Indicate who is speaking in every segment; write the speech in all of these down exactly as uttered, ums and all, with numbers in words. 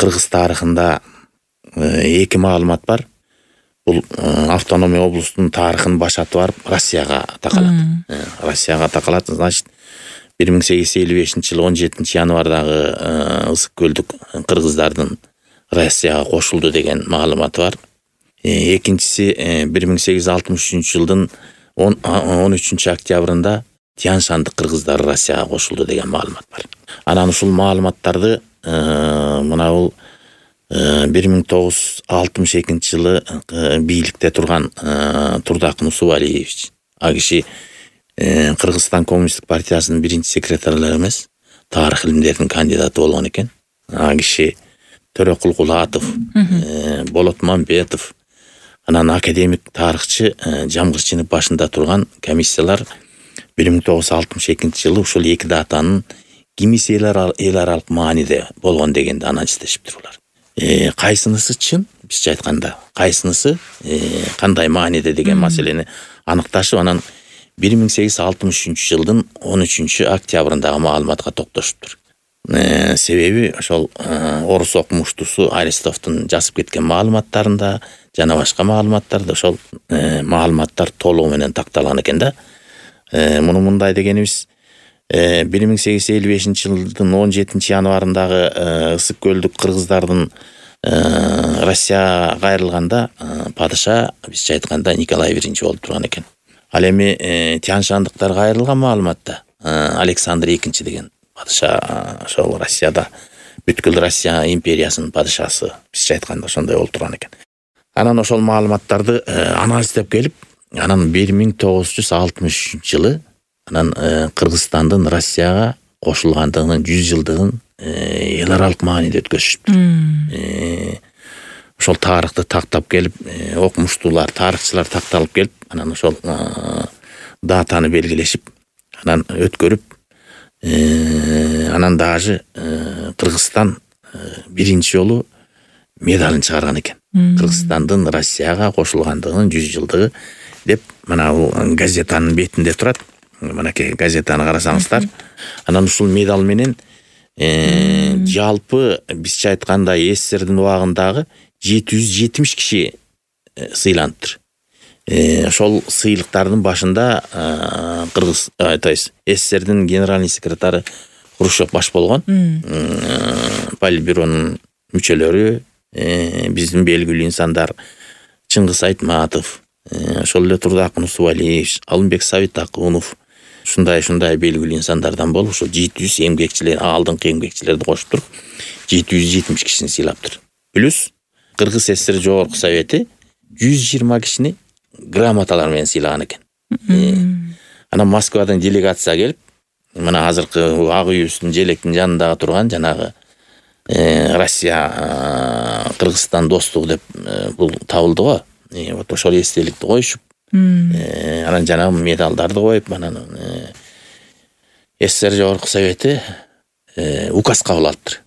Speaker 1: кыргыз тарыхында эки маалымат бар. Бул автономия облустунун тарыхын башатып барып Россияга такалат. Россияга такалат, значит, бир миң сегиз жүз элүү бешинчи жылы он жетинчи январдагы ысык көлдүк кыргыздардын Россияга кошулду деген маалыматы бар. Экинчиси бир миң сегиз жүз алтымыш үчүнчү жылдын он үчүнчү октябрында Тянь-Шандык кыргыздары Россияга кошулду деген маалымат бар. Анан ушул маалыматтарды мына бул бир миң тогуз жүз алтымыш экинчи жылы бийликте турган Турдакын Усубалиевич, а киши Кыргызстан Коммунисттик партиясынын биринчи секретарлары эмес, тарых илимдеринин кандидаты болгон экен. А киши Төрөкул Кулатов, Болот Мамбетов, анан академик тарыхчы Жамгырчынын башында турган комиссиялар бир миң тогуз жүз алтымыш экинчи жылы ушул эки датанын кимиси эл аралык мааниде болгон дегенди анализдешиптир булар. Кайсынысы чын, бизче айтканда, кайсынысы кандай мааниде деген маселени аныкташып, анан бир миң сегиз жүз алтымыш үчүнчү жылдын он үчүнчү октябрындагы маалыматка токтошуптур. Себеби ошол орус окумуштусу Аристовдун жазып кеткен маалыматтарында жана башка маалыматтарда ошол маалыматтар толугу менен такталган экен да. Муну мындай дегенибиз, бир миң сегиз жүз элүү бешинчи жылдын он жетинчи январындагы ысык көлдүк кыргыздардын Россияга кайрылганда падыша бизче айтканда Николай биринчи болуп турган экен. Ал эми Тянь-Шандыктар кайрылган маалыматта Александр экинчи деген падыша ошол Россияда бүткүл Россия империясынын падышасы бизче айтканда ошондой болуп турган экен. Анан ошол маалыматтарды анализдеп келип, анан бир миң тогуз жүз алтымыш үчүнчү жылы анан Кыргызстандын Россияга кошулгандыгынын жүз жылдыгын эл аралык мааниде өткөзүшүптүр. Ошол тарыхты тактап келип, окумуштуулар, тарыхчылар такталып келип, анан ошол датаны белгилешип, анан өткөрүп, анан даже Кыргызстан биринчи жолу медалын чыгарган экен. Кыргызстандын Россияга кошулгандыгынын жүз жылдыгы деп, мына бул газетанын бетинде турат. Мынакей газетаны карасаңыздар. Анан ушул медал менен жалпы бизче айтканда СССРдин убагындагы жети жүз жетимиш киши сыйланыптыр. Ошол сыйлыктардын башында Кыргыз, то есть СССРдин генеральный секретары Хрущев баш болгон. Политбюронун мүчөлөрү, биздин белгилүү инсандар Чыңгыз Айтматов, ошол эле Турдакын Усубалиевич, Алымбек Сабитакунов, ушундай-ушундай белгилүү инсандардан болуп, ошол жети жүз эмгекчилер, алдыңкы эмгекчилерди кошуп туруп, жети жүз жетимиш кишини сыйлаптыр. Плюс Кыргыз СССР Жогорку Совети жүз жыйырма кишини грамоталар менен сыйлаган экен. Анан Москвадан делегация келип, мына азыркы ак үйүбүздүн желектин жанындагы турган жанагы Россия Кыргызстан достугу деп бул табылды го. Вот ошол эстеликти коюшуп, анан жанагы медалдарды коюп, анан СССР Жогорку Совети указ кабыл алыптыр.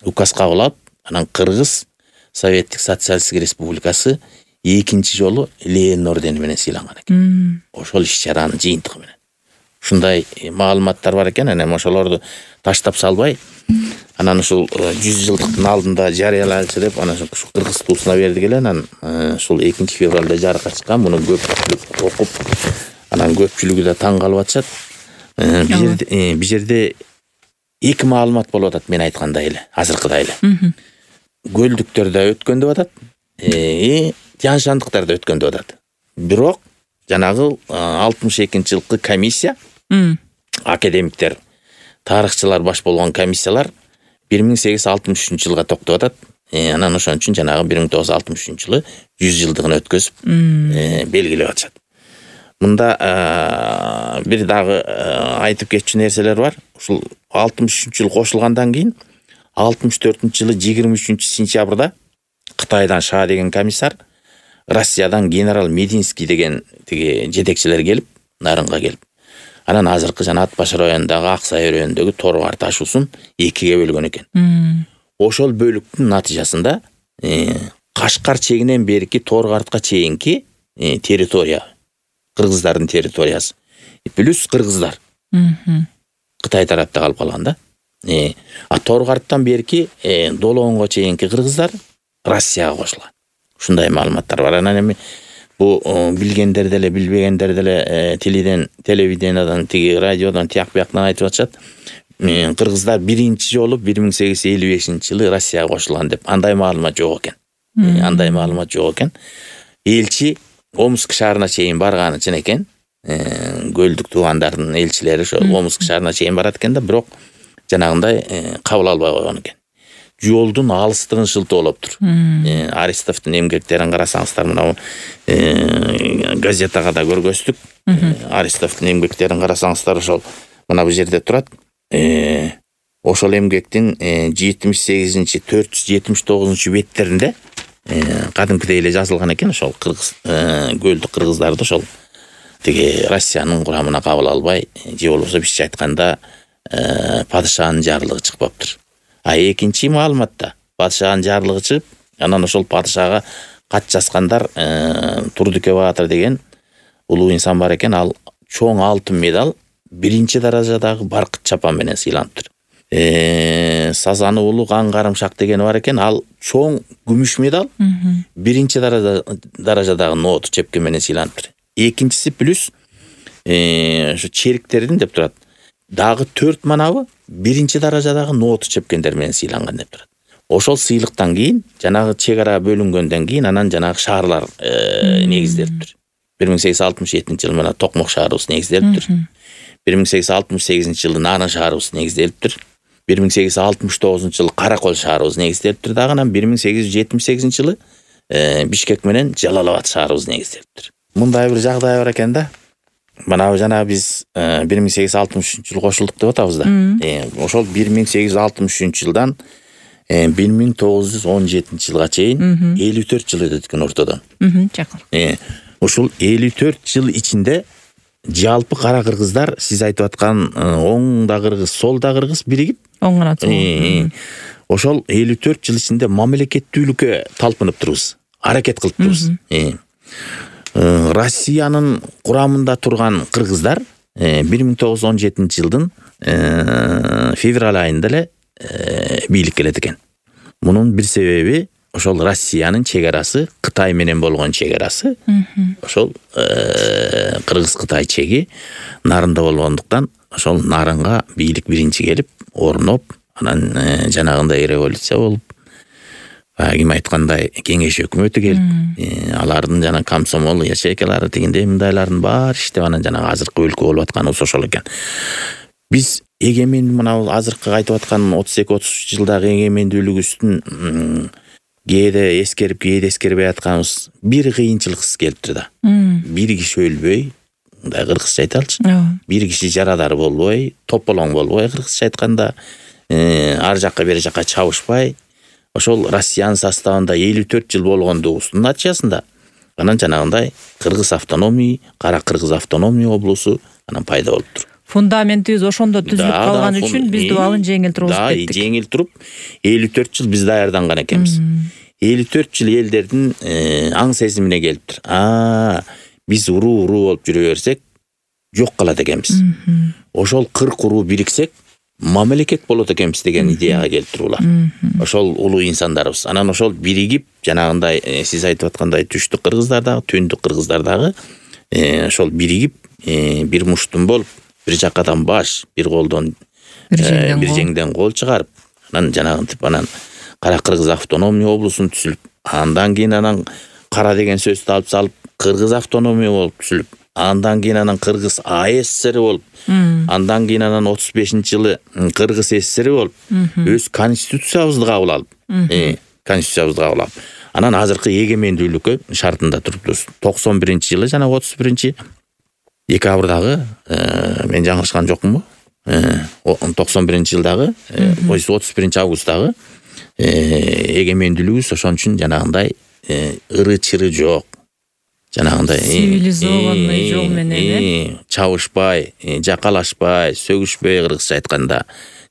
Speaker 1: Указ кабыл алып, анан Кыргыз Советтик Социалисттик Республикасы экинчи жолу Ленин ордени менен сыйланган экен. Ошол иш-чаранын жыйынтыгы менен. Ушундай маалыматтар бар экен, анан ошолорду таштап салбай, анан ушул жүз жылдыктын алдында жарыялайлычы деп, анан ушул Кыргыз туусуна бердик эле, анан ушул экинчи февралда жарыкка чыккан, муну көпчүлүк окуп, анан көпчүлүгү да таң калып атышат. Бул жерде эки маалымат болуп атат, мен айткандай эле, азыркыдай эле. Көлдүктөрдө өткөн деп атат, Тянь-Шандыктарда өткөн деп атат. Бирок жанагы алтымыш экинчи жылкы комиссия, академиктер, тарыхчылар баш болгон комиссиялар бир миң сегиз жүз алтымыш үчүнчү жылга токтоп атат. Анан ошон үчүн жанагы бир миң тогуз жүз алтымыш үчүнчү жылы жүз жылдыгын өткөзүп белгилеп атышат. Мында бир дагы айтып кетчү нерселер бар. Ушул алтымыш үчүнчү жыл кошулгандан кийин алтымыш төртүнчү жылы жыйырма үчүнчү сентябрда Кытайдан Ша деген комиссар, Россиядан генерал Мединский деген тиги жетекчилер келип, Нарынга келип, анан азыркы жана Ат Башар районундагы Аксай өрөөнүндөгү Торгар ташуусун экиге бөлгөн экен. Ошол бөлүктүн натыйжасында Кашкар чегинен берки Торгартка чейинки территория, кыргыздардын территориясы плюс кыргыздар Кытай тарапта калып калган да. Э, а Торгарттан берки э, Долоонго чейинки кыргыздар Россияга кошулган. Ушундай маалыматтар бар. Анан эми бу билгендер деле, билбегендер деле э, телевиден, телевидениядан, тиги радиодон тияк бияктан айтып атышат. Э, кыргыздар биринчи жолу бир миң сегиз жүз элүү бешинчи жылы Россияга кошулган деп. Андай маалымат жок экен. Э, андай маалымат жок экен. Элчи Омск шаарына чейин барганы чын экен. Э, көлдүк туугандардын элчилери ошо Омск шаарына чейин барат экен да, бирок жанагындай э, кабыл албай койгон экен. Жолдун алыстыгын шылтып алыптыр. Э, Аристовдун эмгектерин карасаңыздар, мына э, газетага да көргөздүк. Э, Аристовдун эмгектерин карасаңыздар, ошол мына бу жерде турат. Э, ошол эмгектин э, жетимиш сегизинчи төрт жүз жетимиш тогузунчу беттеринде э, кадимкидей эле жазылган экен. Ошол кыргыз э, көлдүк кыргыздарды ошол тиги Россиянын курамына кабыл албай, же болбосо бизче айтканда э, падышанын жарлыгы чыкпаптыр. А экинчи маалыматта падышанын жарлыгы чыгып, анан ошол падышага кат жазгандар э, Турдүкө Баатыр деген улуу инсан бар экен. Ал чоң алтын медаль биринчи даражадагы баркыт чапан менен сыйланыптыр. Э, Сазаны улуу Кан Карымшак деген бар экен. Ал чоң күмүш медаль биринчи даражадагы нооту чепкен менен сыйланыптыр. Экинчиси плюс ошо э, чериктердин деп турат. Дагы төрт манабы биринчи даражадагы нооту чепкендер менен сыйланган деп турат. Ошол сыйлыктан кийин жанагы чек ара бөлүнгөндөн кийин анан жанагы шаарлар э, негизделиптир. бир миң сегиз жүз алтымыш жетинчи жылы мына Токмок шаарыбыз негизделиптир. бир миң сегиз жүз алтымыш сегизинчи жылы Нарын шаарыбыз негизделиптир. бир миң сегиз жүз алтымыш тогузунчу жылы Каракөл шаарыбыз негизделиптир. Дагы анан бир миң сегиз жүз жетимиш сегизинчи жылы э, Бишкек менен Жалал Абад шаарыбыз негизделиптир. Мындай бир жагдай бар экен да. Мына жана биз э, бир миң сегиз жүз алтымыш үчүнчү жылы кошулдук деп атабыз да. Э, ошол бир миң сегиз жүз алтымыш үчүнчү жылдан э, бир миң тогуз жүз он жетинчи жылга чейин элүү төрт жыл өтөт экен ортодон.
Speaker 2: Жакын.
Speaker 1: Э, ушул элүү төрт жыл ичинде жалпы кара кыргыздар сиз айтып аткан оңда кыргыз, солда кыргыз биригип,
Speaker 2: оңгона сол.
Speaker 1: Ошол элүү төрт жыл ичинде мамлекеттүүлүккө талпынып турбуз, аракет кылып турбуз. Э, Россиянын курамында турган кыргыздар бир миң тогуз жүз он жетинчи жылдын февраль айында эле бийликке келет экен. Мунун бир себеби ошол Россиянын чек арасы, Кытай менен болгон чек арасы. Ошол Кыргыз-Кытай чеги Нарында болгондуктан ошол Нарынга бийлик биринчи келип, орноп, анан жанагындай революция болуп, ким айткандай кеңеш өкмөтү келип, алардын жана комсомол ячейкалары тигиндей мындайлардын баары иштеп, анан жанагы азыркы өлкө болуп атканыбыз ошол экен. Биз эгемен мына азыркы айтып аткан отуз эки отуз үч жылдагы эгемендүүлүгүбүздүн кээде эскерип, кээде эскербей атканыбыз бир кыйынчылыксыз келиптир да. Бир киши өлбөй, мындай кыргызча айталычы. Бир киши жарадар болбой, тополоң болбой, кыргызча айтканда, ар жакка бери жакка чабышпай, ошол Россиянын составында элүү төрт жыл болгондугубуздун натыйжасында анан жанагындай Кыргыз автономий, Кара Кыргыз автономий облусу анан пайда болуптур.
Speaker 2: Фундаментибиз ошондо түзүлүп калган үчүн биз дубалын жеңил туруп кеттик.
Speaker 1: Да, жеңил туруп элүү төрт жыл биз даярданган экенбиз. элүү төрт жыл элдердин аң сезимине келиптир. А, биз уруу-уруу болуп жүрө берсек, жок калат экенбиз. Ошол кырк уруу бириксек, мамлекет болот экенбиз деген идеяга келиптир улар. Ошол улуу инсандарыбыз. Анан ошол биригип, жанагындай сиз айтып аткандай түштүк кыргыздар дагы, түндүк кыргыздар дагы ошол биригип, бир муштун болуп, бир жакадан баш, бир колдон бир жеңден кол чыгарып, анан жанагынтип анан Кара Кыргыз автономия облусун түзүлүп, андан кийин анан кара деген сөздү алып салып, Кыргыз автономия болуп түзүлүп, андан кийин анан Кыргыз АССР болуп, андан кийин анан отуз бешинчи жылы Кыргыз ССР болуп, өз конституциябызды кабыл алып, конституциябызды кабыл алып, анан азыркы эгемендүүлүккө шартында турупбуз. токсон биринчи жылы жана отуз биринчи декабрдагы, мен жаңылышкан жокмунбу? токсон биринчи жылдагы, отуз биринчи августтагы эгемендүүлүгүбүз ошон үчүн жанагындай ыры-чыры жок. Жанагындай
Speaker 2: цивилизованный жол менен
Speaker 1: чабышпай, жакалашпай, сөгүшпөй, кыргызча айтканда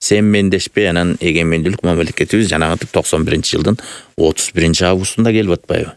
Speaker 1: семмендешпей, анан эгемендүүлүк мамлекетибиз жанагынтип токсон биринчи жылдын отуз биринчи августунда келип атпайбы?